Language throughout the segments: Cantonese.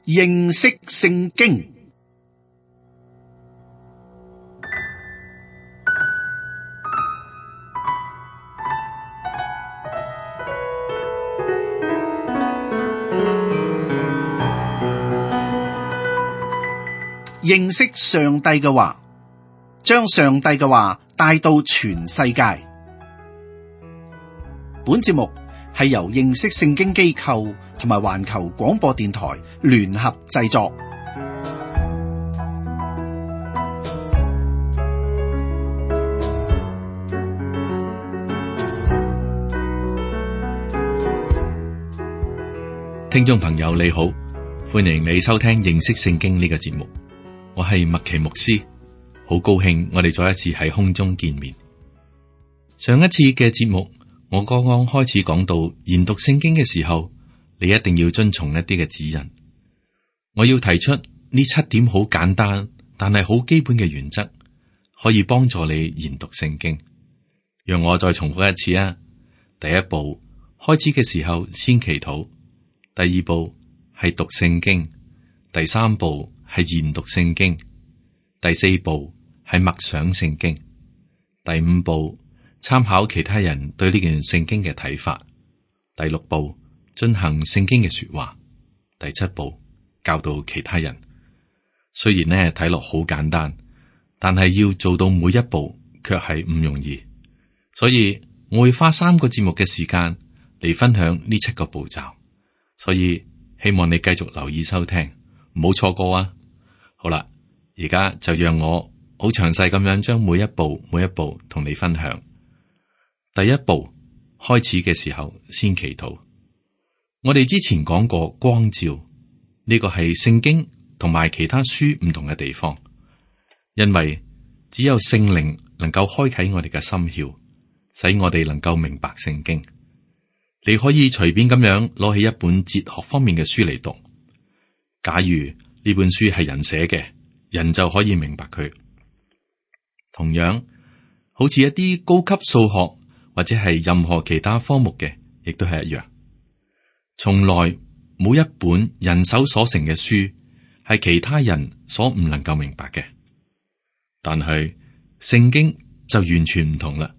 認識聖經。認識上帝嘅話，將上帝嘅話帶到全世界。本節目係由認識聖經機構同埋環球廣播電台聯合製作。聽眾朋友你好，歡迎你收聽認識聖經呢個節目。我係麥奇牧師，好高興我哋再一次喺空中見面。上一次嘅節目，我剛剛開始講到研讀聖經嘅時候，你一定要遵從一啲嘅指引。我要提出呢7點好簡單，但係好基本嘅原則，可以幫助你研讀聖經。讓我再重複一次啊！第一步，開始嘅時候先祈禱；第二步係讀聖經；第三步係研讀聖經；第四步係默想聖經；第五步參考其他人對呢件聖經嘅睇法；第六步進行聖經嘅說話；第七步教導其他人。雖然呢睇落好簡單，但係要做到每一步卻係唔容易。所以我會花3個節目嘅時間嚟分享呢7個步驟。所以希望你繼續留意收聽，唔好錯過啊！好啦，而家就讓我好詳細咁樣將每一步同你分享。第一步，開始嘅時候先祈禱。我哋之前講過光照，呢個係聖經同埋其他書唔同嘅地方，因為只有聖靈能夠開啟我哋嘅心竅，使我哋能夠明白聖經。你可以隨便咁樣攞起一本哲學方面嘅書嚟讀，假如呢本書係人寫嘅，人就可以明白佢。同樣，好似一啲高級數學或者係任何其他科目嘅，亦都係一樣。從來冇一本人手所成嘅書係其他人所唔能夠明白嘅。但係聖經就完全唔同啦。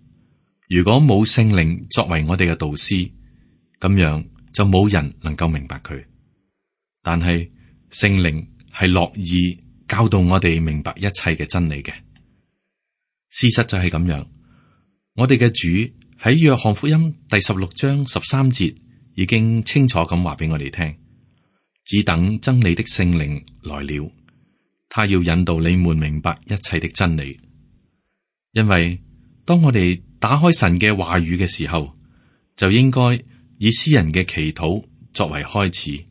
如果冇聖靈作為我哋嘅導師，咁樣就冇人能夠明白佢。但係聖靈係樂意教導我哋明白一切嘅真理嘅。事實就係咁樣。我哋嘅主喺約翰福音第16章13節已經清楚咁話俾我哋聽，只等真理的聖靈來了，他要引導你們明白一切的真理。因為當我哋打開神嘅話語嘅時候，就應該以詩人嘅祈禱作為開始，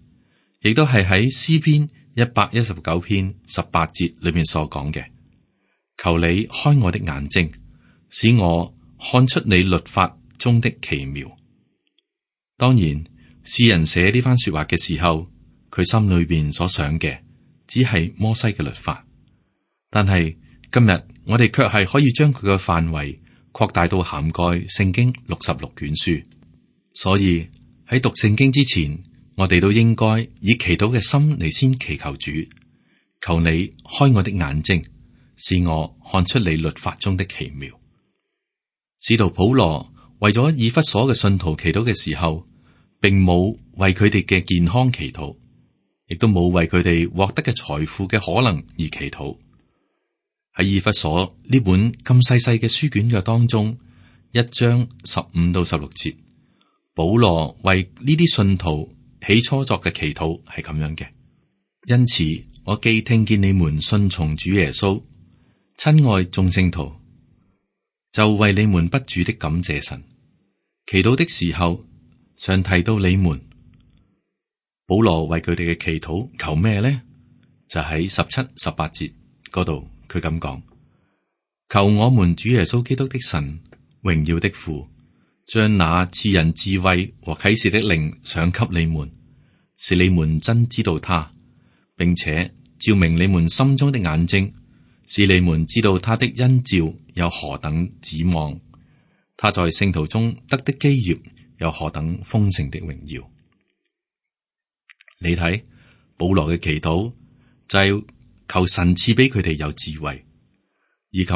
亦都係喺詩篇119篇18節裏面所講嘅。求你開我的眼睛，使我看出你律法中的奇妙。當然，詩人寫呢番說話嘅時候，佢心裏邊所想嘅只係摩西嘅律法。但係今日我哋卻係可以將佢嘅範圍擴大到涵蓋聖經66卷書。所以喺讀聖經之前，我哋都應該以祈禱嘅心嚟先祈求主，求你開我的眼睛，使我看出你律法中的奇妙。使徒保羅為咗以弗所嘅信徒祈禱嘅時候，並冇為佢哋嘅健康祈禱，亦都冇為佢哋獲得嘅財富嘅可能而祈禱。喺以弗所呢本咁細細嘅書卷嘅當中，1章15到16節，保羅為呢啲信徒起初作嘅祈禱係咁樣嘅。因此，我既聽見你們信從主耶穌，親愛眾聖徒，就為你們不住的感謝神。祈禱的時候，常提到你們。保羅為佢哋嘅祈禱求咩呢？就喺17、18節嗰度，佢咁講：求我們主耶穌基督的神，榮耀的父，將那賜人智慧和啟示的靈賞給你們，使你們真知道他，並且照明你們心中的眼睛，使你們知道他的恩召有何等指望，他在聖徒中得的基業有何等豐盛的榮耀。你睇，保羅嘅祈禱就係求神賜俾佢哋有智慧，以及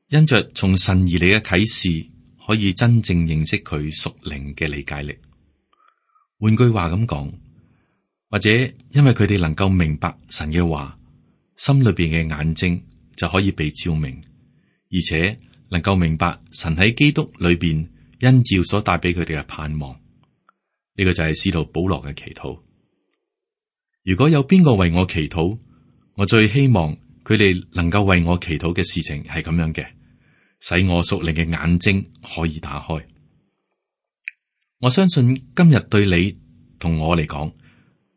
因着從神而嚟嘅啟示，可以真正認識佢屬靈嘅理解力。換句話咁講，或者因為佢哋能夠明白神嘅話，心裏邊嘅眼睛就可以被照明，而且能夠明白神喺基督裏邊恩召所帶俾佢哋嘅盼望。呢個就係使徒保羅嘅祈禱。如果有邊個為我祈禱，我最希望佢哋能夠為我祈禱嘅事情係咁樣嘅，使我屬靈嘅眼睛可以打開。我相信今日對你同我嚟講，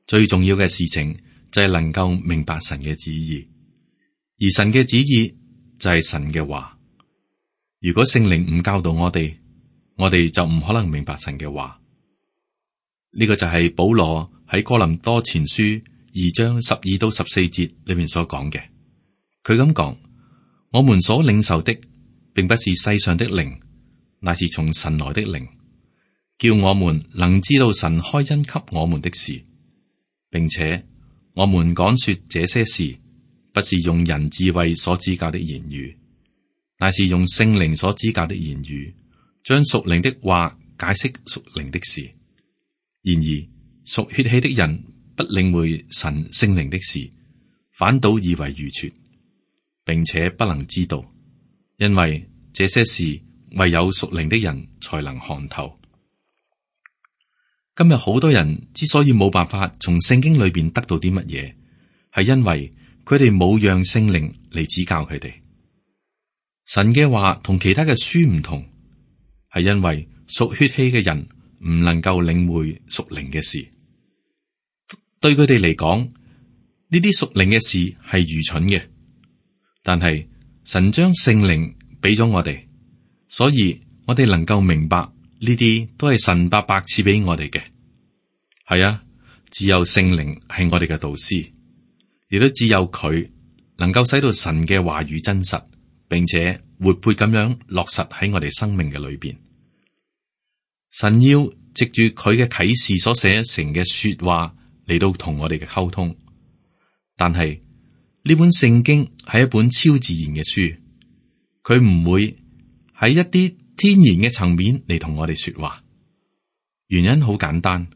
最重要嘅事情就係能夠明白神嘅旨意，而神嘅旨意就係神嘅話。如果聖靈唔教導我哋就唔可能明白神嘅話。呢個就係保羅喺哥林多前書2章12到14節裏面所講嘅。佢咁講：我們所領受的，並不是世上的靈，乃是從神來的靈，叫我們能知道神開恩給我們的事，並且我們講說這些事，不是用人智慧所指教的言語，乃是用聖靈所指教的言語，將屬靈的話解釋屬靈的事。然而屬血氣的人不領會神聖靈的事，反倒以為愚拙，並且不能知道，因為這些事唯有屬靈的人才能看透。今日好多人之所以冇辦法從聖經裏邊得到啲乜嘢，係因為佢哋冇讓聖靈嚟指教佢哋。神嘅話同其他嘅書唔同，係因為屬血氣嘅人唔能夠領會屬靈嘅事，對佢哋嚟講，呢啲屬靈嘅事係愚蠢嘅。但係神將聖靈俾咗我哋，所以我哋能夠明白呢啲都係神白白賜俾我哋嘅。係啊，只有聖靈係我哋嘅導師，亦都只有佢能夠使到神嘅話語真實，並且活潑咁樣落實喺我哋生命嘅裏邊。神要藉住佢嘅啟示所寫成嘅說話嚟到同我哋嘅溝通，但係呢本聖經係一本超自然嘅書，佢唔會喺一啲天然嘅層面嚟同我哋說話。原因好簡單，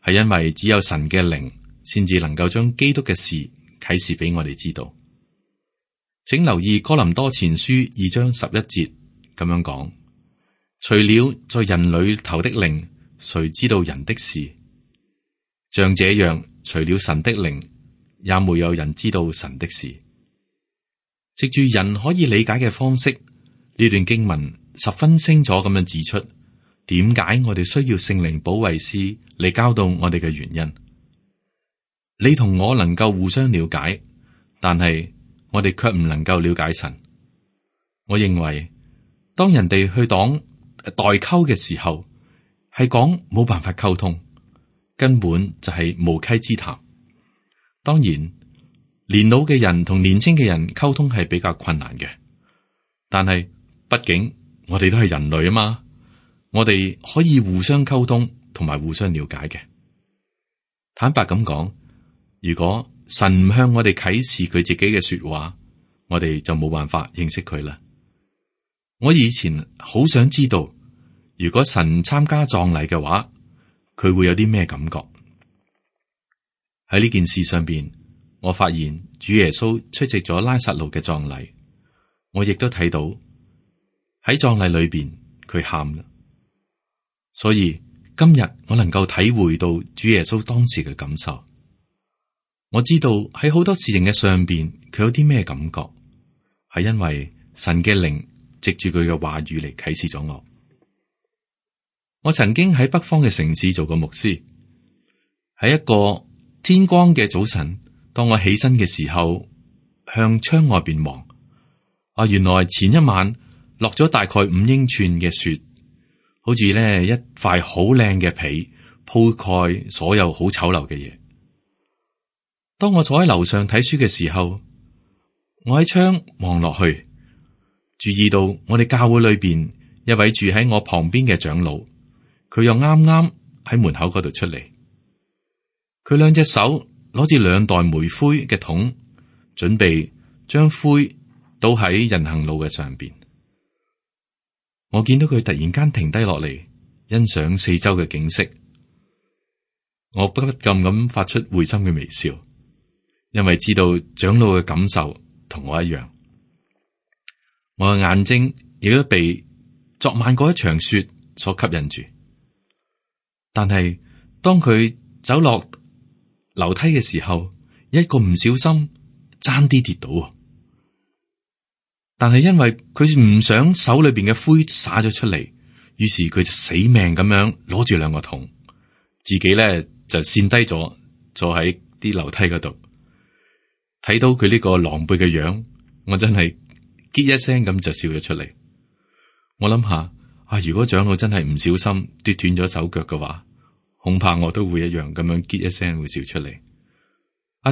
係因為只有神嘅靈先至能夠將基督嘅事啟示俾我哋知道。請留意哥林多前書2章11節咁樣講。除了在人裏頭的靈，誰知道人的事？像這樣，除了神的靈，也沒有人知道神的事。藉住人可以理解嘅方式，呢段經文十分清楚咁樣指出，點解我哋需要聖靈保惠師嚟教導我哋嘅原因。你同我能夠互相了解，但係我哋卻唔能夠了解神。我認為，當人哋去講代溝嘅時候，係講冇辦法溝通，根本就係無稽之談。當然，年老嘅人同年輕嘅人溝通係比較困難嘅，但係畢竟我哋都係人類啊嘛，我哋可以互相溝通同埋互相了解嘅。坦白咁講，如果神唔向我哋啟示佢自己嘅說話，我哋就冇辦法認識佢啦。我以前好想知道，如果神參加葬禮嘅話，佢會有啲咩感覺？喺呢件事上邊，我發現主耶穌出席咗拉撒路嘅葬禮，我亦都睇到喺葬禮裏邊佢喊啦。所以今日我能夠體會到主耶穌當時嘅感受。我知道喺好多事情嘅上邊，佢有啲咩感覺，係因為神嘅靈藉住佢嘅話語嚟啟示咗我。我曾經喺北方嘅城市做過牧師，喺一個天光嘅早晨，當我起身嘅時候，向窗外邊望，原來前一晚落咗大概5英寸嘅雪，好似咧一塊好靚嘅被鋪蓋所有好醜陋嘅嘢。當我坐喺樓上睇書嘅時候，我喺窗望落去，注意到我哋教會裏邊一位住喺我旁邊嘅長老，佢又啱啱喺門口嗰度出嚟，佢兩隻手攞住2袋煤灰嘅桶，準備將灰倒喺人行路嘅上邊。我見到佢突然間停低落嚟，欣賞四周嘅景色。我不禁咁發出會心嘅微笑，因為知道長老嘅感受同我一樣。我嘅眼睛亦都被昨晚嗰一場雪所吸引住。但係當佢走落樓梯嘅時候，一個唔小心爭啲跌倒。但係因為佢唔想手裏邊嘅灰灑咗出嚟，於是佢就死命咁樣攞住2個桶，自己咧就跣低咗，坐喺啲樓梯嗰度。睇到佢呢個狼狽嘅樣，我真係結一聲咁就笑咗出嚟。我諗下啊，如果長老真係唔小心跌斷咗手腳嘅話，恐怕我都會一樣咁樣結一聲會笑出嚟。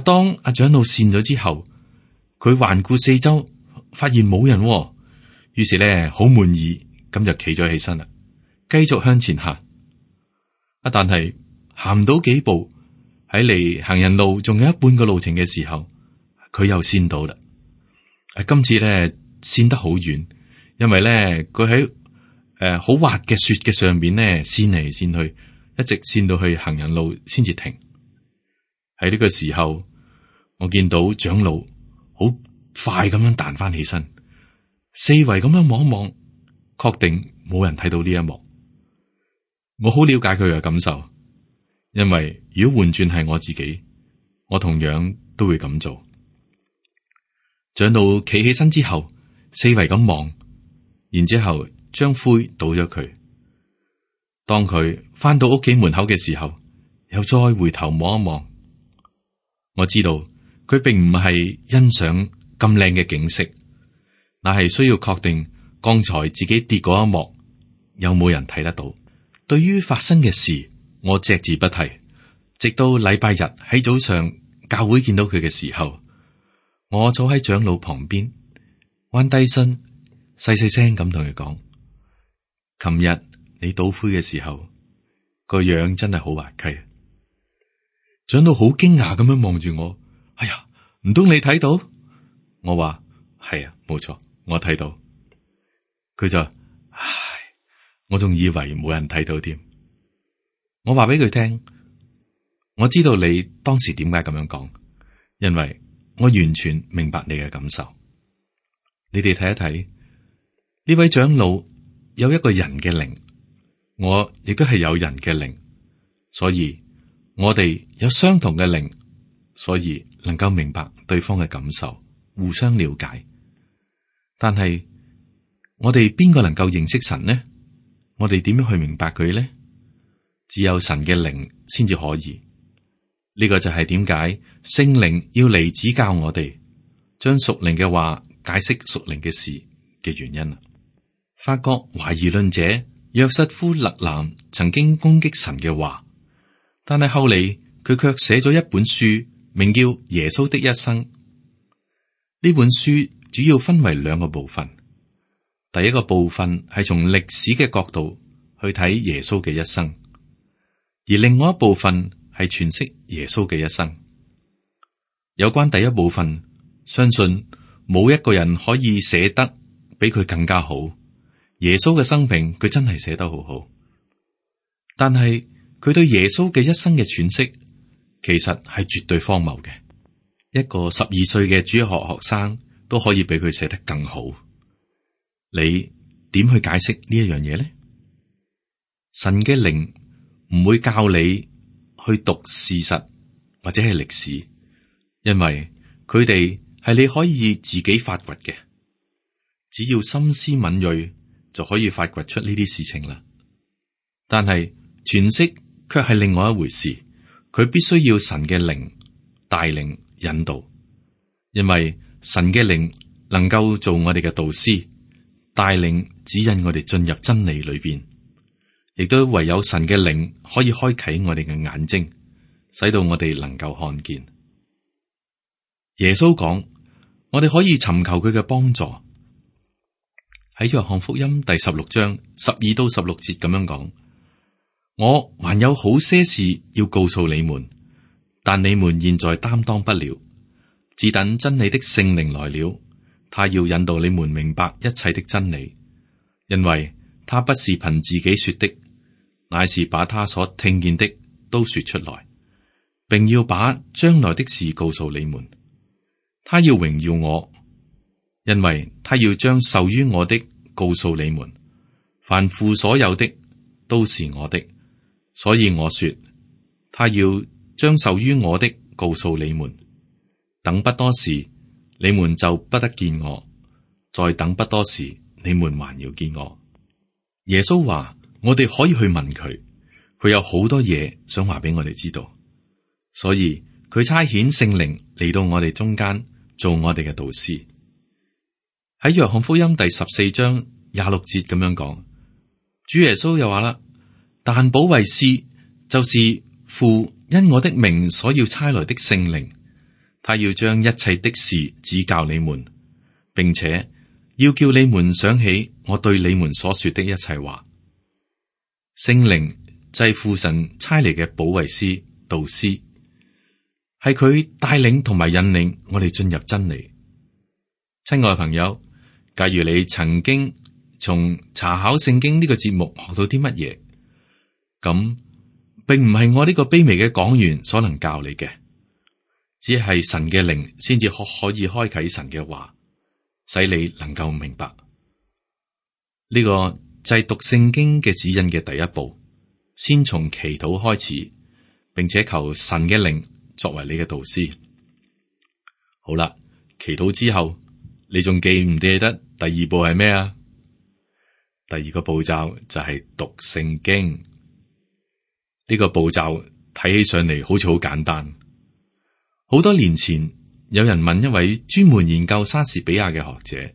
當阿長老跣咗之後，佢環顧四周，發現冇人，於是咧好滿意，咁就企咗起身啦，繼續向前行。但係行唔到幾步，喺離行人路仲有一半個路程嘅時候，佢又跣到啦。今次咧跣得好遠，因為咧佢喺好滑嘅雪嘅上邊咧跣嚟跣去，一直跣到去行人路先至停。喺呢個時候，我見到長老好快咁樣彈翻起身，四圍咁樣望一望，確定冇人睇到呢一幕。我好了解佢嘅感受，因為如果換轉係我自己，我同樣都會咁做。長老企起身之後，四圍咁望，然之後將灰倒咗佢。當佢翻到屋企門口嘅時候，又再回頭望一望。我知道佢並唔係欣賞咁靚嘅景色，乃係需要確定剛才自己跌嗰一幕有冇人睇得到。對於發生嘅事，我隻字不提，直到禮拜日喺早上教會見到佢嘅時候，我坐喺長老旁邊，彎低身細細聲咁同佢講：琴日你倒灰嘅時候，個樣真係好滑稽。長老好驚訝咁樣望住我，哎呀，唔通你睇到？我話係啊，冇錯，我睇到。佢就唉，我仲以為冇人睇到添。我話俾佢聽，我知道你當時點解咁樣講，因為我完全明白你嘅感受。你哋睇一睇，呢位長老有一個人嘅靈，我亦都係有人嘅靈，所以我哋有相同嘅靈，所以能夠明白對方嘅感受，互相了解。但係我哋邊個能夠認識神呢？我哋點樣去明白佢呢？只有神嘅靈先至可以。呢個就係點解聖靈要嚟指教我哋，將屬靈嘅話解釋屬靈嘅事嘅原因啦。法國懷疑論者約瑟夫勒南曾經攻擊神嘅話，但係後嚟佢卻寫咗一本書，名叫《耶穌的一生》。呢本書主要分為2個部分。第一個部分係從歷史嘅角度去睇耶穌嘅一生，而另外一部分係詮釋耶穌嘅一生。有關第一部分，相信冇一個人可以寫得比佢更加好。耶穌嘅生平，佢真係寫得好好。但係佢對耶穌嘅一生嘅詮釋，其實係絕對荒謬嘅。一個12歲嘅主日學學生都可以比佢寫得更好。你點去解釋呢一樣嘢呢？神嘅靈唔會教你去讀事實或者係歷史，因為佢哋係你可以自己發掘嘅，只要心思敏銳就可以發掘出呢啲事情啦。但係詮釋卻係另外一回事，佢必須要神嘅靈帶領引導，因為神嘅靈能夠做我哋嘅導師，帶領指引我哋進入真理裏邊，亦都唯有神嘅靈可以開啟我哋嘅眼睛，使到我哋能夠看見。耶穌講，我哋可以尋求佢嘅幫助。喺約翰福音第16章12到16節咁樣講：我還有好些事要告訴你們，但你們現在擔當不了，只等真理的聖靈來了，他要引導你們明白一切的真理，因為他不是憑自己說的，乃是把他所聽見的都說出來，並要把將來的事告訴你們。他要榮耀我，因為他要將受於我的告訴你們。凡父所有的都是我的，所以我說，他要將受於我的告訴你們。等不多時，你們就不得見我；再等不多時，你們還要見我。耶穌話：我哋可以去問佢，佢有好多嘢想話俾我哋知道，所以佢差遣聖靈嚟到我哋中間，做我哋嘅導師。喺約翰福音第14章26節咁樣講，主耶穌又話啦：但保惠師就是父因我的名所要差來的聖靈，他要將一切的事指教你們，並且要叫你們想起我對你們所說的一切話。聖靈就係父神差嚟嘅保惠師、導師，係佢帶領同埋引領我哋進入真理。親愛嘅朋友，假如你曾經從查考聖經呢個節目學到啲乜嘢，咁並唔係我呢個卑微嘅講員所能教你嘅，只係神嘅靈先至可以開啟神嘅話，使你能夠明白。呢個就係讀聖經嘅指引嘅第一步，先從祈禱開始，並且求神嘅靈作為你嘅導師。好啦，祈禱之後，你仲記唔記得第二步係咩啊？第二個步驟就係讀聖經。呢個步驟睇起上嚟好似好簡單。好多年前，有人問一位專門研究莎士比亞嘅學者，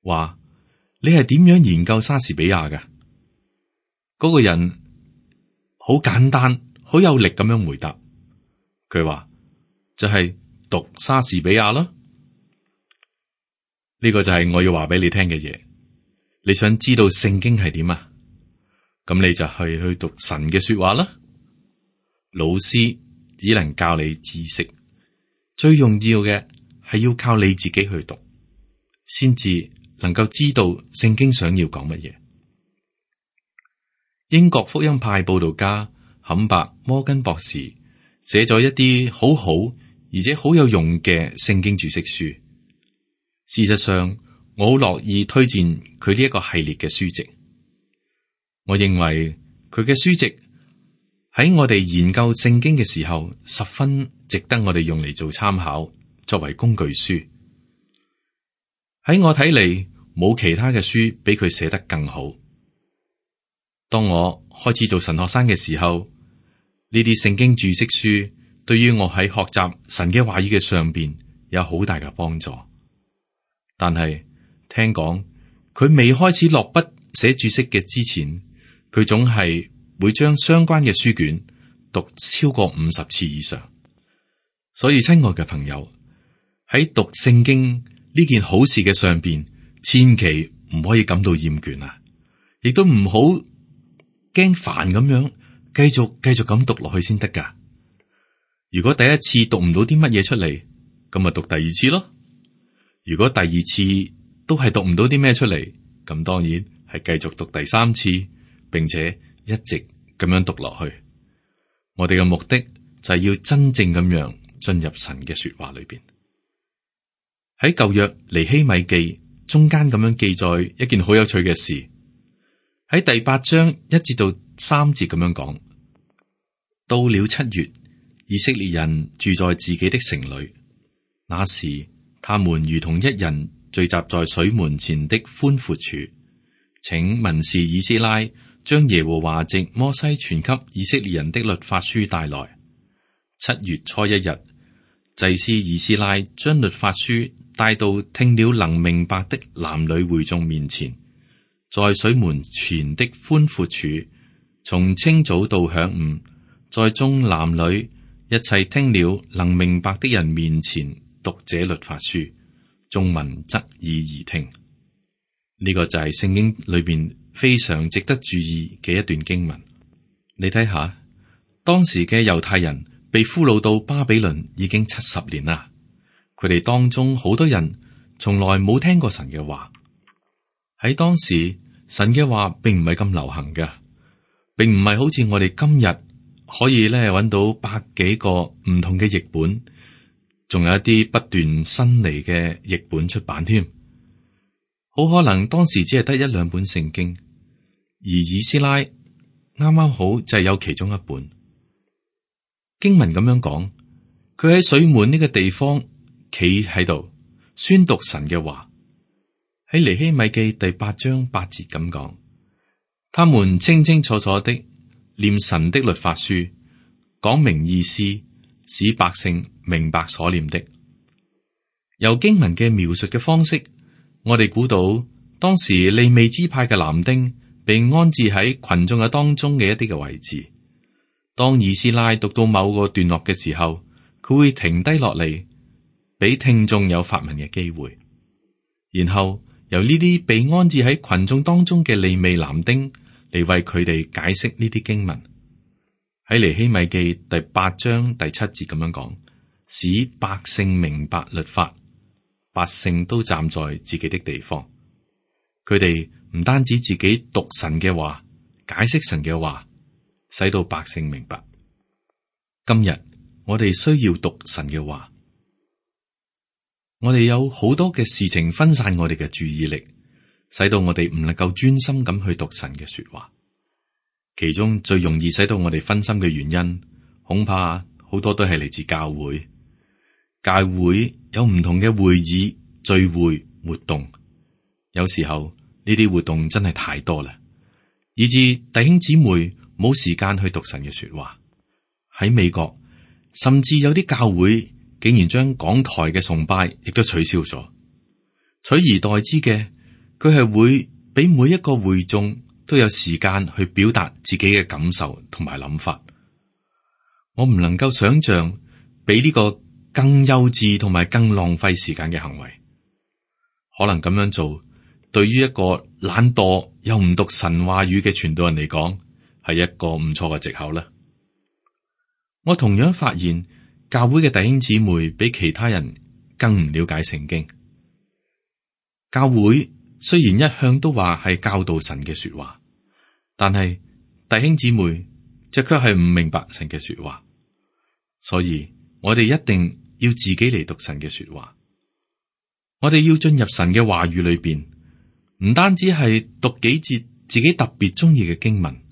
話：你係點樣研究莎士比亞嘅？嗰個人好簡單、好有力咁樣回答，佢話：就係讀莎士比亞咯。呢個就係我要話俾你聽嘅嘢。你想知道聖經係點啊？咁你就去讀神嘅說話啦。老師只能教你知識，最重要嘅係要靠你自己去讀，先至能夠知道聖經想要講乜嘢。英國福音派佈道家坎伯摩根博士寫咗一啲好好而且好有用嘅聖經注釋書。事實上，我好樂意推薦佢呢一個系列嘅書籍。我認為佢嘅書籍喺我哋研究聖經嘅時候，十分值得我哋用嚟做參考，作為工具書。喺我睇嚟，冇其他嘅書比佢寫得更好。當我開始做神學生嘅時候，呢啲聖經注釋書對於我喺學習神嘅話語嘅上邊有好大嘅幫助。但係聽講佢未開始落筆寫注釋嘅之前，佢總係會將相關嘅書卷讀超過50次以上。所以親愛嘅朋友，喺讀聖經呢件好事嘅上邊，千祈唔可以感到厭倦啊！亦都唔好驚煩咁樣繼續咁讀落去先得噶。如果第一次讀唔到啲乜嘢出嚟，咁咪讀第二次咯。如果第二次都係讀唔到啲咩出嚟，咁當然係繼續讀第三次，並且一直咁樣讀落去。我哋嘅目的就係要真正咁樣進入神嘅說話裏邊。喺舊約尼希米記中間咁樣記載一件好有趣嘅事，喺第8章1節到3節咁樣講：到了7月，以色列人住在自己的城裏，那時他們如同一人聚集在水門前的寬闊處，請文士以斯拉將耶和華藉摩西傳給以色列人的律法書帶來。7月初1日，祭司以斯拉將律法書帶到聽了能明白的男女會眾面前，在水門前的寬闊處，從清早到晌午，在眾男女一切聽了能明白的人面前讀這律法書，眾民側耳而聽。呢個就係聖經裏邊非常值得注意嘅一段經文。你睇下，當時嘅猶太人被俘虜到巴比倫已經70年啦。佢哋當中好多人從來冇聽過神嘅話。喺當時，神嘅話並唔係咁流行嘅，並唔係好似我哋今日可以咧揾到百幾個唔同嘅譯本，仲有一啲不斷新嚟嘅譯本出版添。好可能當時只係得1、2本聖經，而以斯拉啱啱好就係有其中一本。經文咁樣講，佢喺水門呢個地方企喺度宣讀神嘅話。喺尼希米記第8章8節咁講，他們清清楚楚的念神的律法書，講明意思，使百姓明白所念的。由經文嘅描述嘅方式，我哋估到當時利未支派嘅男丁被安置喺群眾嘅當中嘅一啲嘅位置。當以斯拉讀到某個段落嘅時候，佢會停低落嚟，俾聽眾有發問嘅機會，然後由呢啲被安置喺群眾當中嘅利未男丁嚟為佢哋解釋呢啲經文。喺尼希米記第8章第7節咁樣講，使百姓明白律法，百姓都站在自己的地方。佢哋唔單止自己讀神嘅話，解釋神嘅話，使到百姓明白。今日我哋需要讀神嘅話。我哋有好多嘅事情分散我哋嘅注意力，使到我哋唔能夠專心咁去讀神嘅說話。其中最容易使到我哋分心嘅原因，恐怕好多都係嚟自教會。教會有唔同嘅會議、聚會、活動，有時候呢啲活動真係太多啦，以致弟兄姊妹冇時間去讀神嘅說話。喺美國，甚至有啲教會竟然將講台嘅崇拜亦都取消咗，取而代之嘅，佢係會俾每一個會眾都有時間去表達自己嘅感受同埋諗法。我唔能夠想象比呢個更幼稚同埋更浪費時間嘅行為。可能咁樣做，對於一個懶惰又唔讀神話語嘅傳道人嚟講，係一個唔錯嘅藉口啦。我同樣發現，教會嘅弟兄姊妹比其他人更唔了解聖經。教會雖然一向都話係教導神嘅說話，但係弟兄姊妹就卻係唔明白神嘅說話。所以我哋一定要自己嚟讀神嘅說話。我哋要進入神嘅話語裏邊，唔單止係讀幾節自己特別中意嘅經文，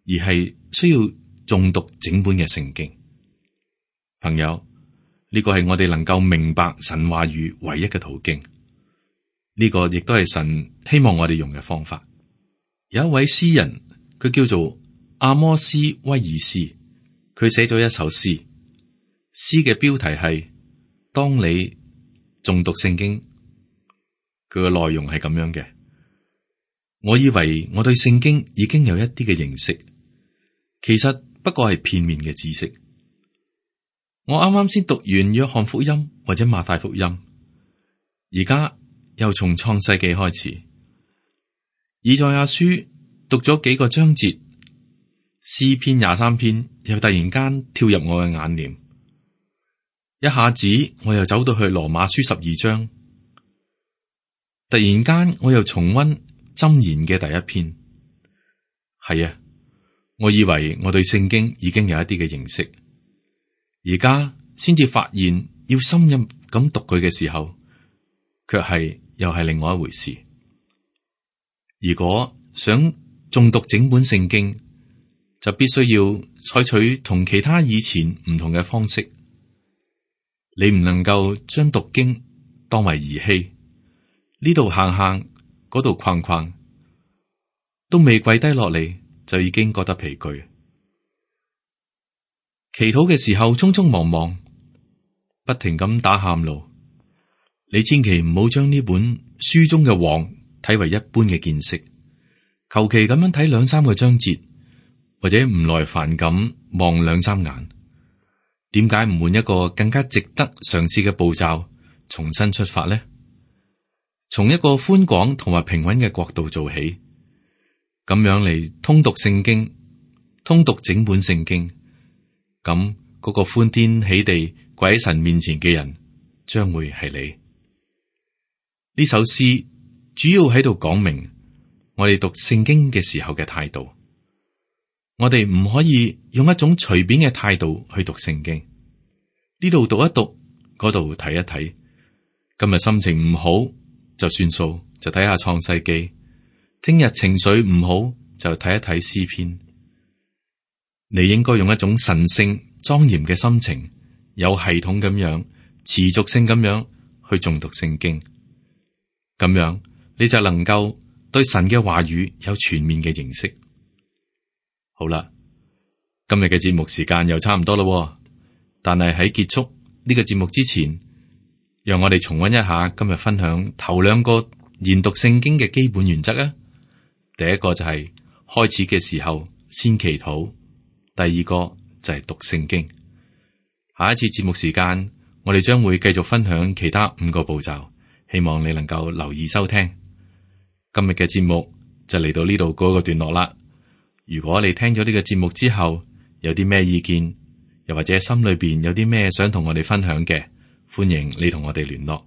而係需要誦讀整本嘅聖經。朋友，呢個係我哋能夠明白神話語唯一嘅途徑。呢個亦都係神希望我哋用嘅方法。有一位詩人，佢叫做阿摩斯威爾斯，佢寫咗一首詩，詩嘅標題係當你誦讀聖經。佢嘅內容係咁樣嘅：我以為我對聖經已經有一啲嘅認識，其實不過係片面嘅知識。我啱啱先讀完約翰福音或者馬太福音，而家又從創世紀開始，以賽亞書讀咗幾個章節，詩篇23篇又突然間跳入我嘅眼簾，一下子我又走到去羅馬書12章，突然間我又重溫箴言嘅第一篇。係啊，我以為我對聖經已經有一啲嘅認識，而家先至發現要深入咁讀佢嘅時候，卻係又係另外一回事。如果想誦讀整本聖經，就必須要採取同其他以前唔同嘅方式。你唔能夠將讀經當為兒戲，呢度行行，嗰度逛逛，都未跪低落嚟就已經覺得疲倦。祈禱嘅時候匆匆忙忙，不停咁打喊路。你千祈唔好將呢本書中嘅王睇為一般嘅見識，求其咁樣睇2-3個章節，或者唔耐煩咁望2-3眼。點解唔換一個更加值得嘗試嘅步驟，重新出發呢？從一個寬廣同埋平穩嘅角度做起，咁樣嚟通讀聖經，通讀整本聖經，咁嗰個歡天喜地跪喺神面前嘅人，將會係你。呢首詩主要喺度講明我哋讀聖經嘅時候嘅態度。我哋唔可以用一種隨便嘅態度去讀聖經。呢度讀一讀，嗰度睇一睇。今日心情唔好就算數，就睇下創世記。聽日情緒唔好就睇一睇詩篇。你應該用一種神聖莊嚴嘅心情，有系統咁樣、持續性咁樣去誦讀聖經。咁樣你就能夠對神嘅話語有全面嘅認識。好啦，今日嘅節目時間又差唔多咯，但係喺結束呢個節目之前，讓我哋重溫一下今日分享頭兩個研讀聖經嘅基本原則啊。第一個就係開始嘅時候先祈禱，第二個就係讀聖經。下一次節目時間，我哋將會繼續分享其他5個步驟，希望你能夠留意收聽。今日嘅節目就嚟到呢度嗰個段落啦。如果你聽咗呢個節目之後有啲咩意見，又或者心裏邊有啲咩想同我哋分享嘅，歡迎你同我哋聯絡。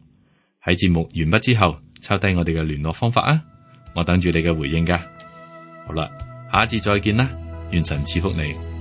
喺節目完畢之後，抄低我哋嘅聯絡方法啊，我等住你嘅回應噶。好啦，下一次再見啦，願神賜福你。